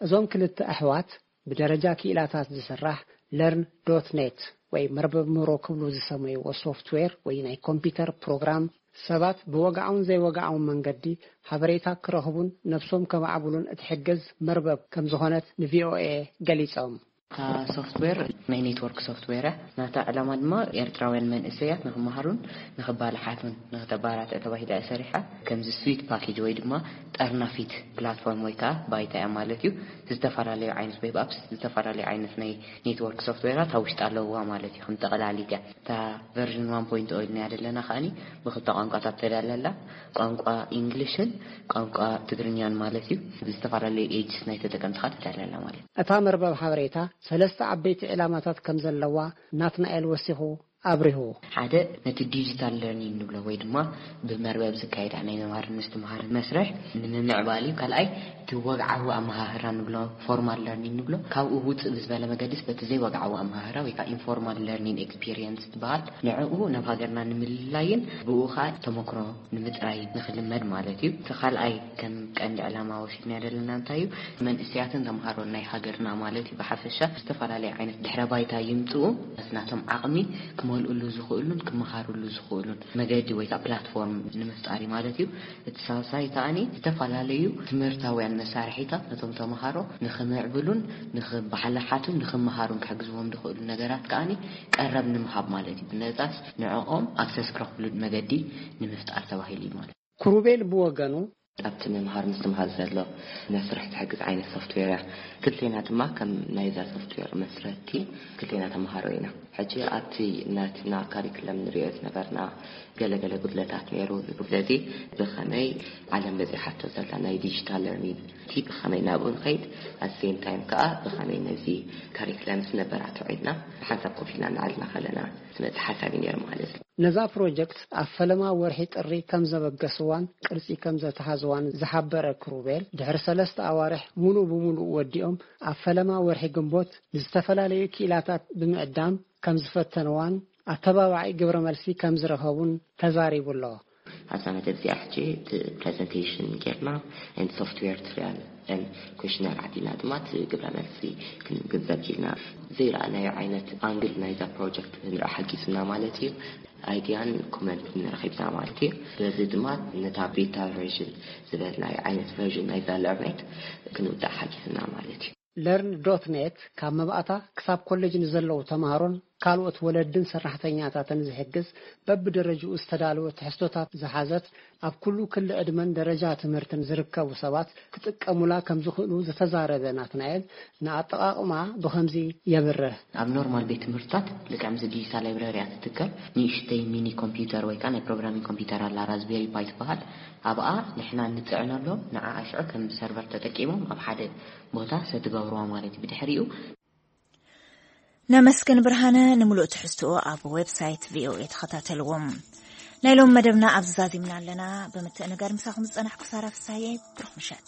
እዞም ክልተ ኣሕዋት ብደረጃ ክኢላታት ዝስራሕ ለርን ዶት ኔት ወይ መርበብ ምህሮ ክብሉ ዝሰመይዎ ሶፍትዌር ወይ ናይ ኮምፒውተር ፕሮግራም፣ ሰባት ብወግዓውን ዘይወግዓውን መንገዲ ሓበሬታ ክረኽቡን ነብሶም ከማዕብሉን እትሕግዝ መርበብ ከም ዝኾነት ንቪኦኤ ገሊጾም። እታ ሶፍትዌር ናይ ኔትወርክ ሶፍትዌር እያ። ናታ ዕላማ ድማ ኤርትራውያን መንእሰያት ንኽመሃሩን ንኽባልሓቱን ንኽተባራትዕ ተባሂላ እያ ሰሪሓ። ከምዚ ስዊት ፓኬጅ ወይ ድማ ጠርናፊት ፕላትፎርም ወይ ከዓ ባይታ እያ ማለት እዩ። ዝተፈላለዩ ዓይነት ዌብ ኣፕስ፣ ዝተፈላለዩ ዓይነት ናይ ኔትወርክ ሶፍትዌራት ኣብ ውሽጢ ኣለውዋ ማለት እዩ። ከም ጠቕላሊት እያ። እታ ቨርዥን ዋን ፖይንት ኦ ኢልናያ ዘለና ከዓኒ ብክልተ ቋንቋታት ተዳለላ፣ ቋንቋ ኢንግሊሽን ቋንቋ ትግርኛን ማለት እዩ። ዝተፈላለዩ ኤጅስ ናይ ተጠቀምቲ ከዓ ተዳለላ ማለት እዩ። እታ መርበብ ሓበሬታ ሰለስተ ዓበይቲ ዕላማታት ከም ዘለዋ ናትናኤል ወሲኹ ኣብሪሁ። ሓደ፣ ነቲ ዲጂታል ለርኒንግ ንብሎ ወይ ድማ ብመርበብ ዝካየድ ናይ ምምሃር ምስትምሃር መስርሕ ንምምዕባል እዩ። ካልኣይ፣ እቲ ወግዓዊ ኣመሃህራ ንብሎ፣ ፎርማል ለርኒንግ ንብሎ፣ ካብኡ ውፅእ ብዝበለ መገዲስ በቲ ዘይወግዓዊ ኣመሃህራ ወይ ከዓ ኢንፎርማል ለርኒንግ ኤክስፒሪየንስ ዝበሃል፣ ንዕኡ ናብ ሃገርና ንምልላይን ብኡ ከዓ ተመክሮ ንምጥራይ ንኽልመድ ማለት እዩ። እቲ ካልኣይ ከም ቀንዲ ዕላማ ወሲድናዮ ዘለና እንታይ እዩ? መንእሰያትን ተምሃሮን ናይ ሃገርና ማለት እዩ ብሓፈሻ ዝተፈላለየ ዓይነት ድሕረ ባይታ ይምፅኡ፣ ናቶም ዓቕሚ ክመልእሉ ዝኽእሉን ክመሃርሉ ዝኽእሉን መገዲ ወይ ከዓ ፕላትፎርም ንምፍጣር እዩ ማለት እዩ። እቲ ሳልሳይ ከዓኒ ዝተፈላለዩ ትምህርታውያን መሳርሒታት ነቶም ተምሃሮ ንኽምዕብሉን ንኽባሓልሓቱን ንኽመሃሩን ክሕግዝዎም ዝኽእሉ ነገራት ከዓኒ ቀረብ ንምሃብ ማለት እዩ። ብነፃስ ንዕኦም ኣክሰስ ክረኽብሉ መገዲ ንምፍጣር ተባሂሉ እዩ ማለት እዩ። ክሩቤል ብወገኑ፣ ኣብቲ ምምሃር ምስትምሃር ዘሎ መስርሕ ትሕግዝ ዓይነት ሶፍትዌር እያ። ክልቴና ድማ ከም ናይዛ ሶፍትዌር መስረቲ ክልቴና ተምሃሮ ኢና። ሕጂ ኣብቲ ናትና ካሪክለም ንሪኦ ዝነበርና ገለገለ ጉድለታት ነይሩ። እዚ ጉድለት እዚ ብኸመይ ዓለም በፂሓቶ ዘላ ናይ ዲጂታል ለርኒንግ እቲ ብኸመይ ናብኡ ንኸይድ፣ ኣት ሴም ታይም ከዓ ብኸመይ ነዚ ካሪክለምስ ነበራትዖ ኢልና ብሓንሳብ ኮፍ ኢልና እናዓልና ከለና ዝመፅእ ሓሳብ እዩ ነይሩ ማለት እዩ። ነዛ ፕሮጀክት ኣብ ፈለማ ወርሒ ጥሪ ከም ዘበገስዋን ቅርጺ ከም ዘተሓዝዋን ዝሓበረ ክሩቤል፣ ድሕሪ ሰለስተ ኣዋርሕ ሙሉእ ብሙሉእ ወዲኦም ኣብ ፈለማ ወርሒ ግንቦት ንዝተፈላለዩ ክኢላታት ብምዕዳም ከም ዝፈተንዋን ኣተባባዒ ግብረ መልሲ ከም ዝረኸቡን ተዛሪቡ ኣሎ። ኣብዛ መደብ እዚኣ ሕጂ እቲ ፕሬዘንቴሽን ጌርና፣ and software trial and questionnaire ዓዲና ድማ እቲ ግብረ መልሲ ክንግንዘብ ኪልና። ዘይረኣናዮ ዓይነት ኣንግል ናይዛ ፕሮጀክት ክንርኢ ሓጊዝና ማለት እዩ። ኣይድያን ኮመንትን ረኺብና ማለት እዩ። በዚ ድማ ነታ ቤታ ቨርዥን ዝበልናዮ ዓይነት ቨርዥን ናይዛ ለርኔት ክንውዳእ ሓጊዝና ማለት እዩ። ለርን ዶት ኔት ካብ መባእታ ክሳብ ኮሌጅ ንዘለዉ ተምሃሮን ካልኦት ወለድን ሰራሕተኛታትን ዝሕግዝ በብደረጅኡ ዝተዳለወ ትሕዝቶታት ዝሓዘት ኣብ ኩሉ ክሊ ዕድመን ደረጃ ትምህርትን ዝርከቡ ሰባት ክጥቀሙላ ከም ዝኽእሉ ዝተዛረበ ናትናኤል ንኣጠቓቕማ ብኸምዚ የብርህ። ኣብ ኖርማል ቤት ትምህርትታት ልክዕ ምስ ዲጂታል ላይብረሪ እያ ትትከል። ንእሽተይ ሚኒ ኮምፒውተር ወይ ከዓ ናይ ፕሮግራሚንግ ኮምፒውተር ኣላ ራዝቤሪ ፓይ ትበሃል። ኣብኣ ንሕና እንፅዕነሎም ንዓ ኣሽዑ ከም ሰርቨር ተጠቂሞም ኣብ ሓደ ቦታ ሰትገብርዋ ማለት እዩ። ብድሕሪኡ ነመስግን ብርሃነ። ንምሉእ ትሕዝትኡ ኣብ ዌብሳይት ቪኦኤ ተኸታተልዎም። ናይ ሎም መደብና ኣብዚ ዛዚምና ኣለና። ብምትእንጋር ምሳኹም ዝጸናሕኩ ሳራ ፍሳየ። ብሩኽ ምሸት።